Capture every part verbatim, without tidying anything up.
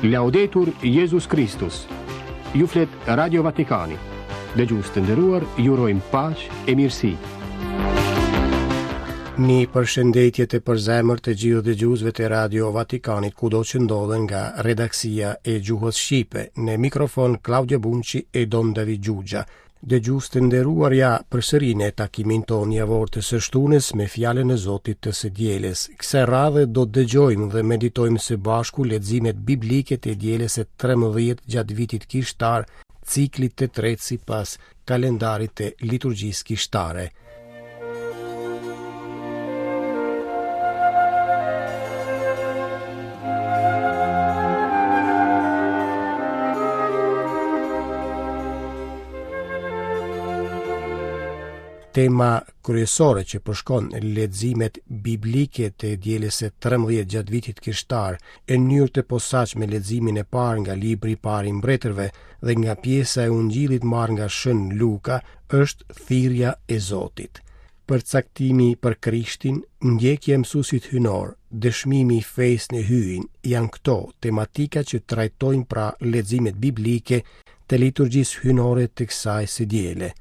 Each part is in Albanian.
Laudetur Jezus Kristus. Ju flet Radio Vatikani. Dëgjues të nderuar, ju urojmë paqe e mirësi. Një përshëndetje të përzemërt të gjithë dëgjuesve të Radio Vatikanit kudo që ndodhen nga redaksia e gjuhës shqipe. Në mikrofon Claudio Bunci e Don David Xhuxha. Dëgjues të nderuar, ja përsëri në takimin tonë javor të së shtunës me fjalën e Zotit të së dielës. Kësaj radhe do të dëgjojmë dhe meditojmë së bashku leximet biblike të dielës së trembëdhjetë gjatë vitit kishtar, ciklit të tretë sipas kalendarit të liturgjisë kishtare. Tema kryesore që përshkon leximet biblike të dielës së trembëdhjetë gjatë vitit kishtar, në mënyrë të posaçme leximin e parë nga libri i parë i mbretërve dhe nga pjesa e Ungjillit marrë nga Shën Luka, është thirrja e Zotit. Përcaktimi për Krishtin, ndjekja e mësuesit hyjnor, dëshmimi i fesë në Hyjin, janë këto tematika që trajtojnë pra leximet biblike të liturgjisë hyjnore të kësaj së diele.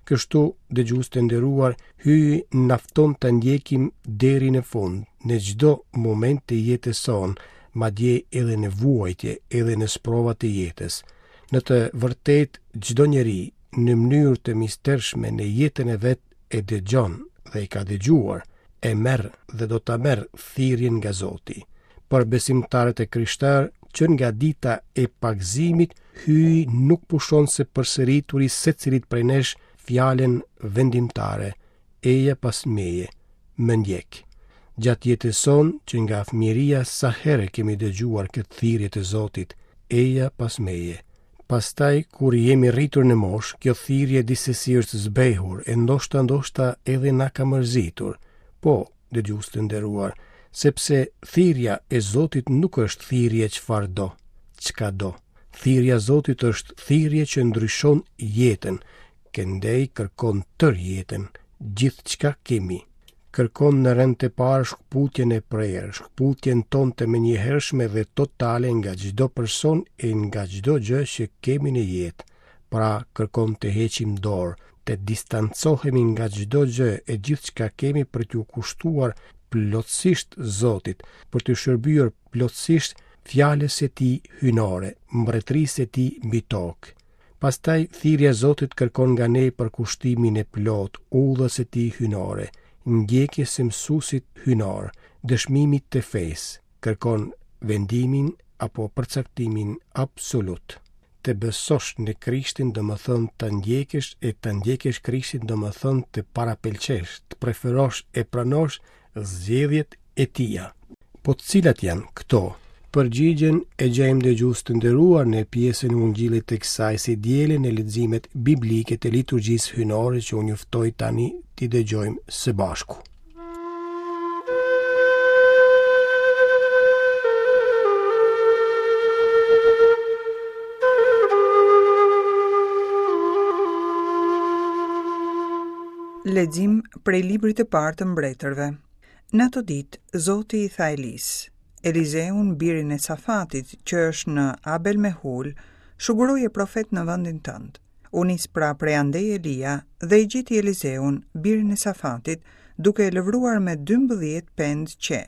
Kështu, dëgjues të nderuar, Hyji na fton të ndjekim deri në fund, në çdo moment të jetës sonë, madje edhe në vuajtje, edhe në sprovat e jetës. Në të vërtetë, çdo njeri në mënyrë të mistershme në jetën e vet e dëgjon dhe e ka dëgjuar, e merr dhe do ta merr thirrjen nga Zoti. Për besimtarët e krishterë, që nga dita e pagëzimit, Hyji nuk pushon se përsërituri secilit prej nesh fjalën vendimtare, eja pas meje, më ndjek. Gjatë jetës sonë, që nga fëmijëria sa herë kemi dëgjuar këtë thirrje të Zotit, eja pas meje. Pastaj, kur jemi rritur në moshë, kjo thirrje disesi është zbehur e ndoshta ndoshta edhe na ka mërzitur. Po, dëgjues të nderuar, sepse thirrja e Zotit nuk është thirrje çfarë do, çka do. Thirrja e Zotit është thirrje që ndryshon jetën, këndej kërkon tërë jetën, gjithçka kemi. Kërkon në rend të parë shkëputjen e prerë, shkëputjen tonë të menjëhershme dhe totale nga çdo person e nga çdo gjë që kemi në jetë. Pra, kërkon të heqim dorë, të distancohemi nga çdo gjë e gjithçka kemi për t'u kushtuar plotësisht Zotit, për t'u shërbyer plotësisht fjalës së tij hyjnore, mbretërisë së tij mbi tokë. Pastaj thirrja e Zotit kërkon nga ne përkushtimin e plot, udhës së tij hyjnore, ndjekjes së mësuesit hyjnor, dëshmimit të fesë, kërkon vendimin apo përcaktimin absolut. Të besosh në Krishtin do më thënë të ndjekësh e të ndjekësh Krishtin do më thënë të parapëlqesh, të preferosh e pranosh zgjedhjet e tija. Po cilat janë këto? Përgjigjen e gjejmë dëgjues të nderuar në pjesën e Ungjillit të kësaj së diele në leximet biblike të liturgjisë hyjnore që unë ju ftoj tani t'i dëgjojmë së bashku. Lexim prej librit të parë të mbretërve. Në ato ditë, Zoti i tha Elis, Elizeun, birin e Safatit, që është në Abel Mehul, shuguroje profet në vendin tënd. U nis pra prej andej Elia dhe e gjeti Elizeun, birin e Safatit, duke e lëvruar me dymbëdhjetë pendë qe.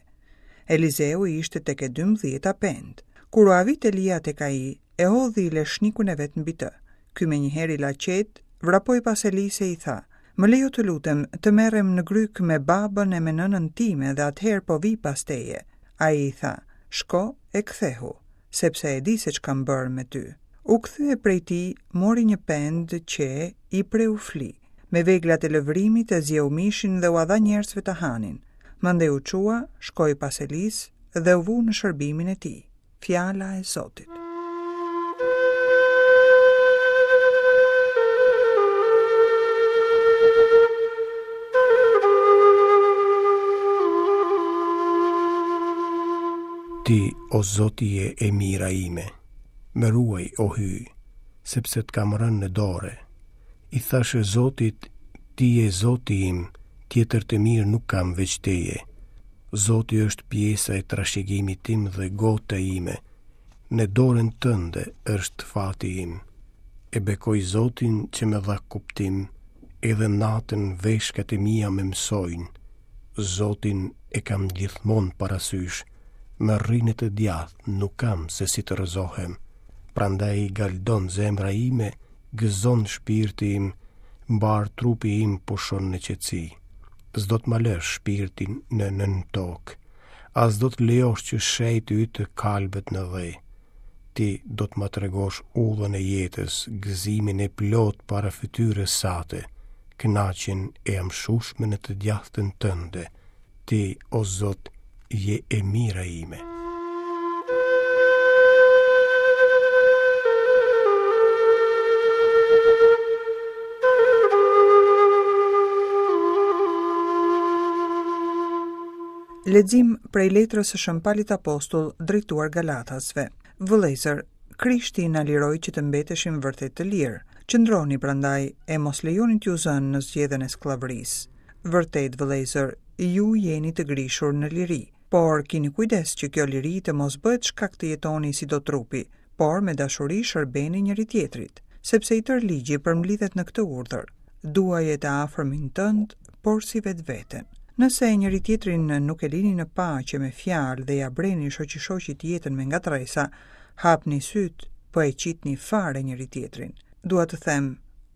Elizeu ishte tek e dymbëdhjeta pendë. Kur u avit Elia tek ai, e hodhi leshnikun e vet mbi të. Ky menjëherë i la qetë, vrapoi pas Elisë e i tha: Më lejo të lutem, të merrem në gryk me babën e me nënën time dhe atëherë po vi pas teje. Ai i tha: Shko e kthehu, sepse e di se ç'kam bërë me ty. U kthye prej tij, mori një pendë që i preu fli. Me veglat e lëvrimit e zjeu mishin dhe ua dha njerëzve të hanin. Mandej u çua, shkoi pas Elisë dhe u vu në shërbimin e tij. Fjala e Zotit. Ti, o Zoti, je e mira ime, më ruaj, o Hyj, sepse të kam rënë në dore. I thashë Zotit, ti je Zoti im, tjetër të mirë nuk kam veç teje. Zoti është pjesa e trashëgimit tim dhe gota ime. Në dorën tënde është fati im. E bekoj Zotin që më dha kuptim, edhe natën veshkat e mia më mësojnë. Zotin e kam gjithmonë parasysh, më rri në të djathtë, nuk kam se si të rrëzohem. Prandaj galdon zemra ime, gëzon shpirti im, mbarë trupi im pushon në qetësi. S'do të ma lësh shpirtin në nëntokë, as do të lejosh që shenjti yt të kalbet në dhe. Ti do të ma tregosh udhën e jetës, gëzimin e plot para fytyrës sate, kënaqjen e amshueshme në të djathtën tënde. Ti, o Zot, je e mira ime. Lexim prej letrës së Shën Palit Apostull drejtuar Galatasve. Vëllezër, Krishti na liroi që të mbeteshim vërtet të lirë. Qëndroni prandaj e mos lejoni t'ju zënë në zgjedhën e skllavërisë. Vërtet, vëllezër, ju jeni të grishur në liri, por kini kujdes që kjo liri të mos bëhet shkak të jetoni si do trupi, por me dashuri shërbeni njëri tjetrit, sepse i tërë ligji përmblidhet në këtë urdhër: duaje të afërmin tënd, por si vetveten. Nëse njëri tjetrin nuk e lini në paqe me fjalë dhe ja breni shoqi-shoqit jetën me ngatresa, hapni syt, po e qitni fare njëri tjetrin. Dua të them,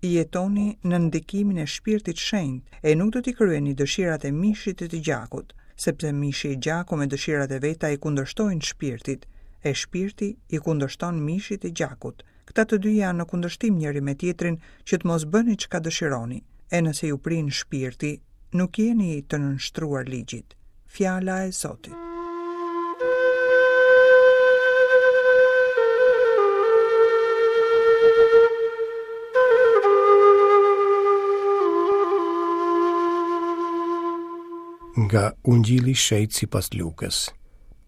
jetoni në ndikimin e shpirtit shenjt e nuk do t'i kryeni dëshirat e mishit e të gjakut, sepse mishi e gjaku me dëshirat e veta i kundërshtojnë shpirtit, e shpirti i kundërshton mishit e gjakut. Këta të dy janë në kundërshtim njëri me tjetrin që të mos bëni çka dëshironi. E nëse ju prin shpirti, nuk jeni të nënshtruar ligjit. Fjala e Zotit. Nga Ungjilli i Shenjtë sipas Lukës.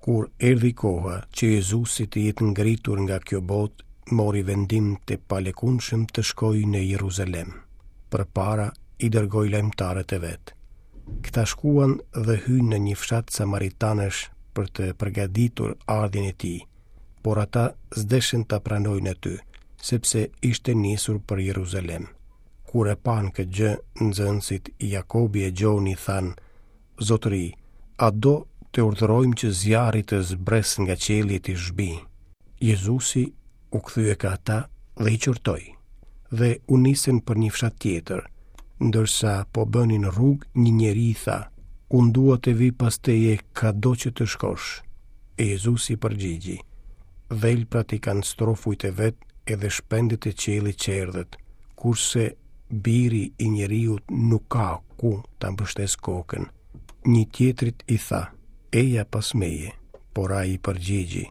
Kur erdhi koha që Jezusi të jetë ngritur nga kjo botë, mori vendim të palëkundshëm të shkojë në Jeruzalem. Përpara i dërgoi lajmëtarët e vet. Këta shkuan dhe hynë në një fshat samaritanësh për të përgatitur ardhjen e tij, por ata s'deshën ta pranojnë aty, sepse ishte nisur për Jeruzalem. Kur e panë këtë gjë, nxënësit Jakobi e Gjoni thanë: Zotëri, a do të urdhërojmë që zjarri të zbresë nga qielli e t'i zhbijë? Jezusi u kthye ka ata dhe i qortoi, dhe u nisën për një fshat tjetër. Ndërsa po bënin rrugë, një njeri i tha: Unë dua të vi pas teje kado që të shkosh. E Jezusi përgjigji: Dhelprat i kanë strofujt e vet edhe shpendët e qiellit çerdhet, kurse biri i njeriut nuk ka ku ta mbështes kokën. Një tjetrit i tha: Eja pas meje. Por ai i përgjigji: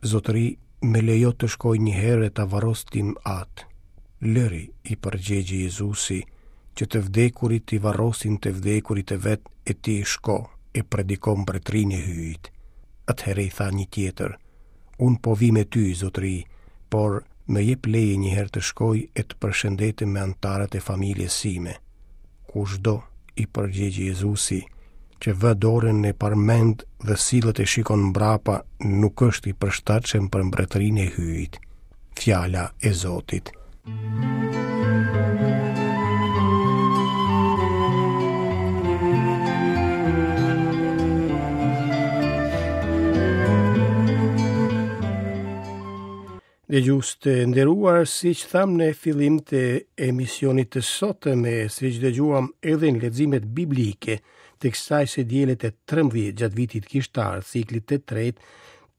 Zotëri, më lejo të shkoj një herë e ta varros tim atë. Lëri, i përgjigji Jezusi, që të vdekurit t'i varrosin të vdekurit e vet, e ti shko e prediko mbretërinë e Hyjit. Atëherë i tha një tjetër: Unë po vi me ty, zotëri, por më jep leje një herë të shkoj e të përshëndetem me anëtarët e familjes sime. Kushdo, i përgjigji Jezusi, që vë dorën në parmend dhe sillet e shikon mbrapa, nuk është i përshtatshëm për mbretërinë e Hyjit. Fjala e Zotit. Dëgjues të nderuar, siç tham në fillim të emisionit të sotëm, e siç dëgjuam edhe në leximet biblike të kësaj së diele të trembëdhjetë gjatë vitit kishtar, ciklit të tretë,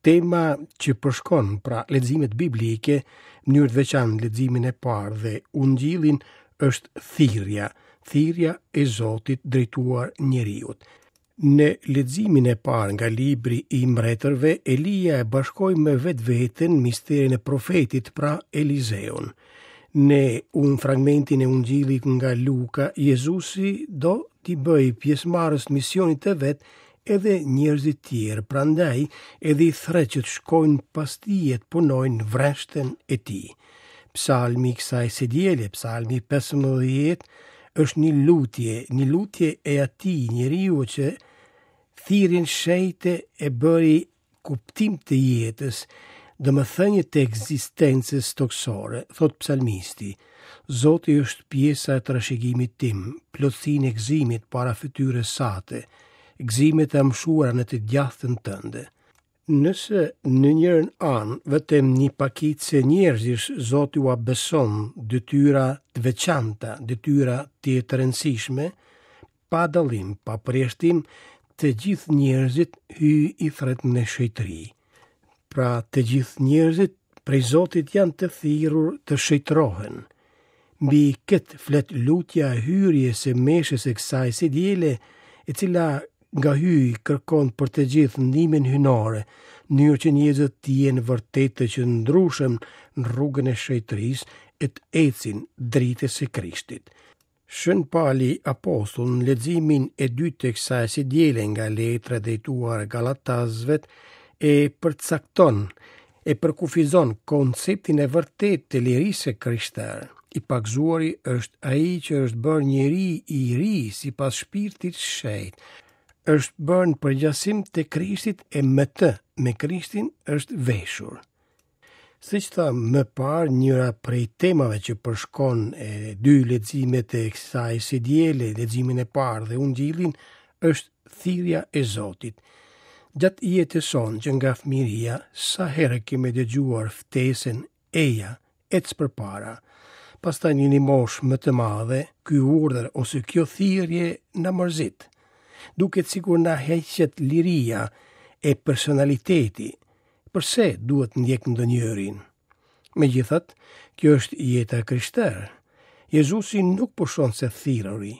tema që përshkon pra leximet biblike, në mënyrë të veçantë leximin e parë dhe Ungjillin, është thirrja, thirrja e Zotit drejtuar njeriut. Në leximin e parë nga libri i mbretërve, Elia e bashkoi me vetveten misterin e profetit, pra Elizeun. Në un fragmentin e Ungjillit nga Luka, Jezusi do t'i bëjë pjesëmarrës misionit të vet edhe njerëzit tjerë, prandaj edhe i thret që të shkojnë pas tij e të punojnë vreshtën e tij. Psalmi i kësaj së diele, psalmi pesëmbëdhjetë, është një lutje, një lutje e atij njeriu që thirrjen shenjte e bëri kuptim të jetës domethënie të ekzistencës tokësore, thotë psalmisti. Zoti është pjesa e trashëgimit tim, plotësinë e gëzimit para fytyrës sate, gëzimet e amshuara në të djathtën tënde. Nëse në njërën anë vetëm një pakicë njerëzish Zoti ua beson detyra të veçanta, detyra të të rëndësishme, pa dallim, pa përjashtim, të gjithë njerëzit Hyji i thret në shenjtëri. Pra të gjithë njerëzit prej Zotit janë të thirrur të shenjtërohen. Mbi këtë flet lutja e hyrjes së meshës e kësaj së diele, e cila nga Hyji kërkon për të gjithë ndihmën hyjnore, në mënyrë që njerëzit të jenë vërtet të qëndrueshëm në rrugën e shenjtërisë e të ecin dritës së Krishtit. Shën Pali Apostull në leximin e dytë të kësaj së diele nga letra drejtuar Galatasve e përcakton, e përkufizon konceptin e vërtetë të lirisë së krishterë. I pagëzuari është ai që është bërë njeri i ri sipas shpirtit shenjt, është bërë në përgjasim të Krishtit e me të, me Krishtin është veshur. Siç tha më parë, njëra prej temave që përshkon e dy leximet e kësaj së diele, leximin e parë dhe Ungjillin, është thirrja e Zotit. Gjatë jetës sonë që nga fëmijëria, sa herë kemi dëgjuar ftesën eja, ec përpara. Pastaj në një moshë më të madhe, ky urdhër ose kjo thirrje na mërzit. Duket sikur na heqet liria e personaliteti. Përse duhet ndjek ndonjërin? Megjithatë, kjo është jeta e krishterë. Jezusi nuk pushon së thirruri.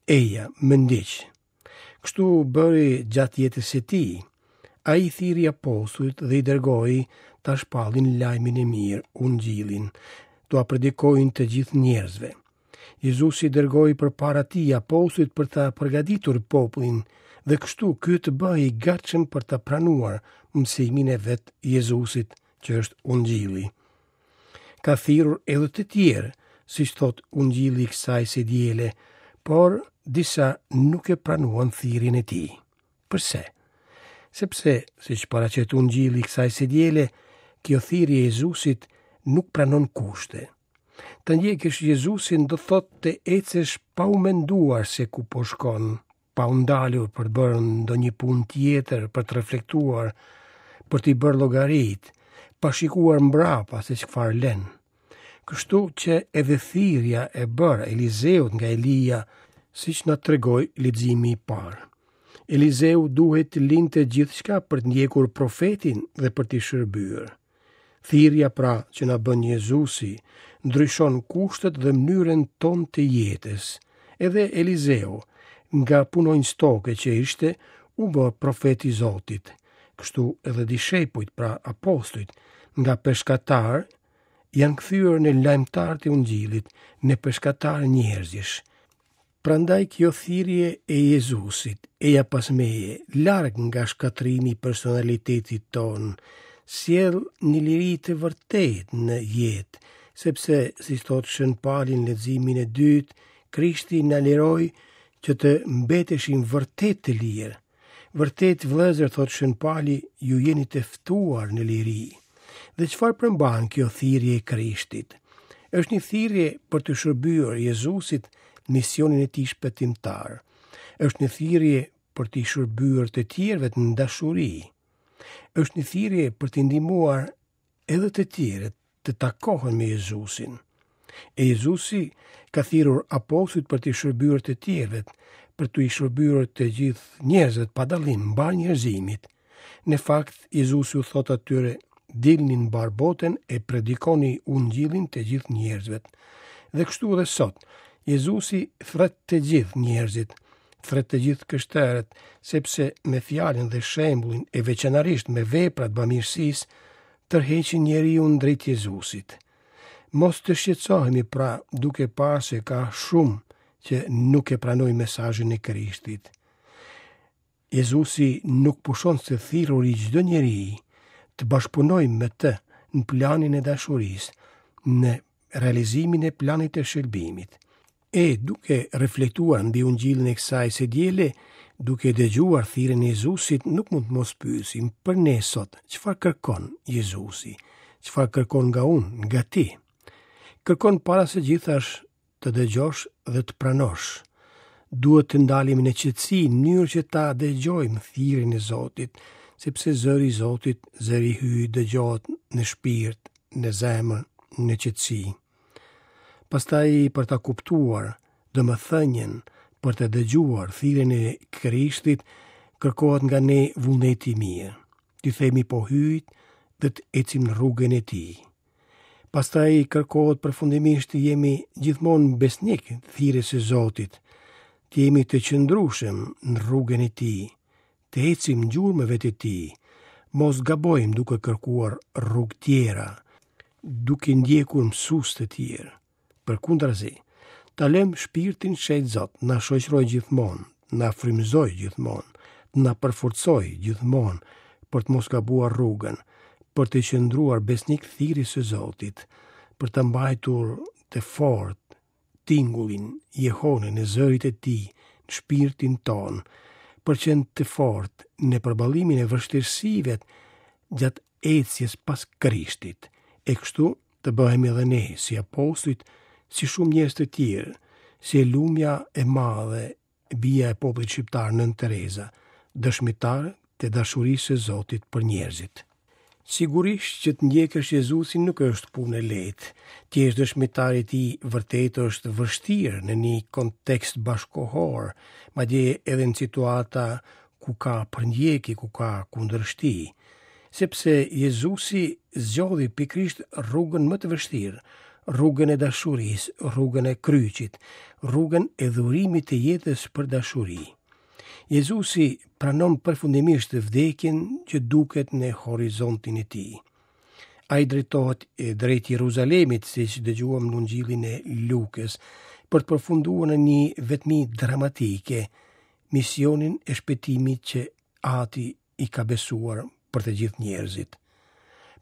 Eja, më ndiq. Kështu bëri gjatë jetës së tij. Ai thirri apostujt dhe i dërgoi ta shpallin lajmin e mirë, Ungjillin, t'ua predikojnë të gjithë njerëzve. Jezusi dërgoi përpara tij apostujt për ta përgatitur popullin dhe kështu ky të bëhej i gatshëm për ta pranuar mësimin e vet Jezusit, që është Ungjilli. Ka thirrur edhe të tjerë, siç thot Ungjilli i kësaj së diele, por disa nuk e pranuan thirrjen e tij. Përse? Sepse, siç paraqet Ungjilli i kësaj së diele, kjo thirrje e Jezusit nuk pranon kushte. Të ndjekësh Jezusin do thotë të ecësh pa u menduar se ku po shkon, pa u ndalur për të bërë ndonjë punë tjetër, për të reflektuar, për t'i bërë llogarit, pa shikuar mbrapa se çfarë lën. Kështu që edhe thirrja e bërë Elizeut nga Elia, siç na tregoi leximi i parë. Elizeu duhet të linte gjithçka për të ndjekur profetin dhe për t'i shërbyer. Thirrja pra që na bën Jezusi ndryshon kushtet dhe mënyrën tonë të jetës. Edhe Elizeu, nga punonjës toke që ishte, u bë profet i Zotit. Kështu edhe dishepujt, pra apostujt, nga peshkatar janë kthyer në lajmëtar të Ungjillit, në peshkatar njerëzish. Prandaj kjo thirrje e Jezusit, eja pas meje, larg nga shkatërrimi i personalitetit ton, sjell një liri të vërtetë në jetë, sepse, si thot Shën Pali në leximin e dytë, Krishti na liroi që të mbeteshim vërtet të lirë. Vërtet, vëllezër, thot Shën Pali, ju jeni të ftuar në liri. Dhe çfarë përmban kjo thirrje e Krishtit? Është një thirrje për të shërbyer Jezusit në misionin e tij shpëtimtar. Është një thirrje për të shërbyer të tjerëve në dashuri. Është një thirrje për të ndihmuar edhe të tjerët të takohen me Jezusin. E Jezusi ka thirrur apostujt për të shërbyer të tjerëve, për të i shërbyer të gjithë njerëzve pa dallim, mbar njerëzimit. Në fakt, Jezusi u thot atyre: dilni në mbar botën e predikoni Ungjillin të gjithë njerëzve. Dhe kështu edhe sot, Jezusi thret të gjithë njerëzit, thret të gjithë krishterët, sepse me fjalën dhe shembullin e veçanërisht me veprat bamirësisë tërheqin njeriun drejt Jezusit. Mos të shqetësohemi pra duke parë se ka shumë që nuk e pranojnë mesazhin e Krishtit. Jezusi nuk pushon së thirruri çdo njeri të bashkëpunojë me të në planin e dashurisë, në realizimin e planit të shërbimit. E duke reflektuar mbi Ungjillin e kësaj së diele, Duke dëgjuar thirrjen e Jezusit, nuk mund të mos pyesim për ne sot, çfarë kërkon Jezusi? Çfarë kërkon nga unë, nga ti? Kërkon para së gjithash të dëgjosh dhe të pranosh. Duhet të ndalemi në qetësi në mënyrë që ta dëgjojmë thirrjen e Zotit, sepse zëri i Zotit, zëri i Hyjit dëgjohet në shpirt, në zemër, në qetësi. Pastaj për ta kuptuar domethënien, për të dëgjuar thirrjen e Krishtit, kërkohet nga ne vullneti i mirë. T'i themi po Hyjit dhe të ecim në rrugën e tij. Pastaj kërkohet përfundimisht të jemi gjithmonë besnik thirrjes së Zotit, të jemi të qëndrueshëm në rrugën e tij, të ecim gjurmëve të tij, mos gabojmë duke kërkuar rrugë tjera, duke ndjekur mësues të tjerë. Përkundrazi, ta lëmë shpirtin shenjt Zot, na shoqëroj gjithmonë, na frymëzoj gjithmonë, na përforcoj gjithmonë për të mos gabuar rrugën, për të qëndruar besnik thirrjes së Zotit, për të mbajtur të fortë tingullin, jehonën e zërit të tij në shpirtin tonë, për qenë të fortë në përballimin e vështirësive gjatë ecjes pas Krishtit, e kështu të bëhemi edhe ne si apostujt, si shumë njerëz të tjerë, si e lumja e madhe, bija e popullit shqiptar Nënë Tereza, dëshmitar të dashurisë së Zotit për njerëzit. Sigurisht që të ndjekësh Jezusin nuk është punë e lehtë. Të jesh dëshmitar i tij vërtet është vështirë në një kontekst bashkohor, madje edhe në situata ku ka përndjekje, ku ka kundërshti, sepse Jezusi zgjodhi pikërisht rrugën më të vështirë, rrugën e dashurisë, rrugën e kryqit, rrugën e dhurimit të jetës për dashuri. Jezusi pranon përfundimisht vdekjen që duket në horizontin e tij. Ai drejtohet drejt Jeruzalemit, siç dëgjuam në Ungjillin e Lukës, për të përfunduar në një vetmi dramatike, misionin e shpëtimit që Ati i ka besuar për të gjithë njerëzit.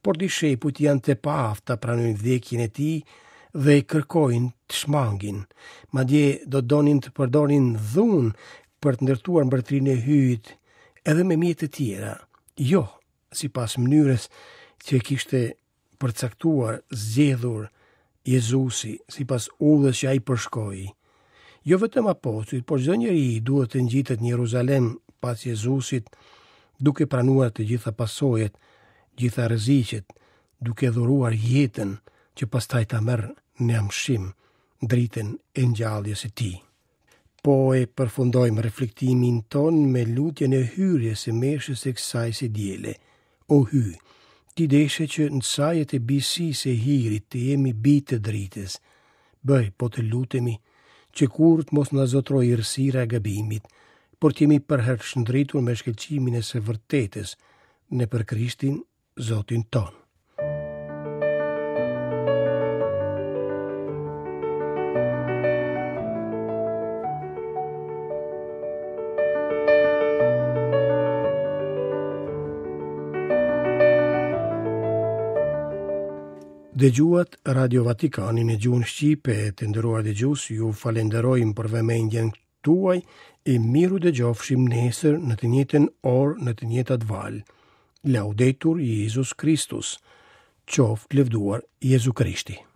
Por dishepujt janë të paaftë ta pranojnë vdekjen e tij dhe kërkojnë të shmangin. Madje do donin të përdorin dhunë për të ndërtuar mbretërinë e Hyjit edhe me mjete të tjera, jo sipas mënyrës që kishte përcaktuar, zgjedhur Jezusi, sipas udhës që ai përshkoi. Jo vetëm apostujt, por çdo njeri duhet të ngjitet në Jeruzalem pas Jezusit, duke pranuar të gjitha pasojat, gjitha rreziqet, duke dhuruar jetën që pastaj ta merr në amshim dritën e ngjalljes së tij. Po e përfundojmë reflektimin ton me lutjen e hyrjes së meshës së kësaj së diele. O Hyj, ti deshe që në sajet e bisisë së hirit të jemi bij të dritës. Bëj, po të lutemi, që kur të mos na zotrojë errësira e gabimit, por të jemi përherë shndritur me shkëlqimin e së vërtetës, në për Krishtin, Zotin ton. Dëgjuat Radio Vatikanin në gjuhën shqipe, të nderuar dëgjues, ju falenderojmë për vëmendjen tuaj e miru dëgjofshim nesër në të njëjtën orë në të njëjtat valë. Laudetur Jezus Kristus, qoftë lëvduar Jezu Krishti.